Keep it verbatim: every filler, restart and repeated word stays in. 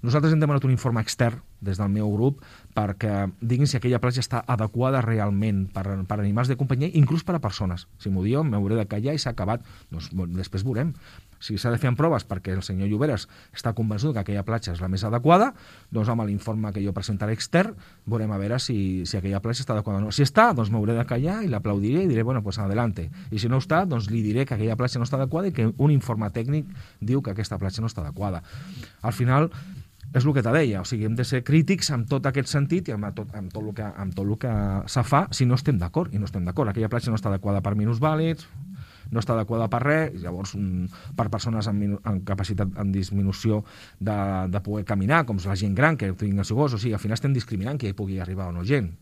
Nosaltres hem demanat un informe extern des del meu grup perquè diguin si aquella platja està adequada realment per, per animals de companyia, inclús per a persones. Si m'ho diuen, m'hauré de callar i s'ha acabat. Doncs, després veurem. Si s'ha de fer en proves perquè el senyor Lloberes està convençut que aquella platja és la més adequada, doncs amb l'informe que jo presentaré extern veurem a veure si, si aquella platja està adequada o no. Si està, doncs m'hauré de callar i l'aplaudiré i diré, bueno, pues adelante. I si no està, doncs li diré que aquella platja no està adequada i que un informe tècnic diu que aquesta platja no està adequada. Al final, és el que te deia, o sigui, hem de ser crítics amb tot aquest sentit i amb tot, amb tot el que, amb tot el que se fa si no estem d'acord, i no estem d'acord. Aquella platja no està adequada per minusvàlids, no està adequada per res, llavors per persones amb, amb capacitat, amb disminució de, de poder caminar, com la gent gran que tinguin el seu gos, o sigui, al final estem discriminant que hi pugui arribar o no gent.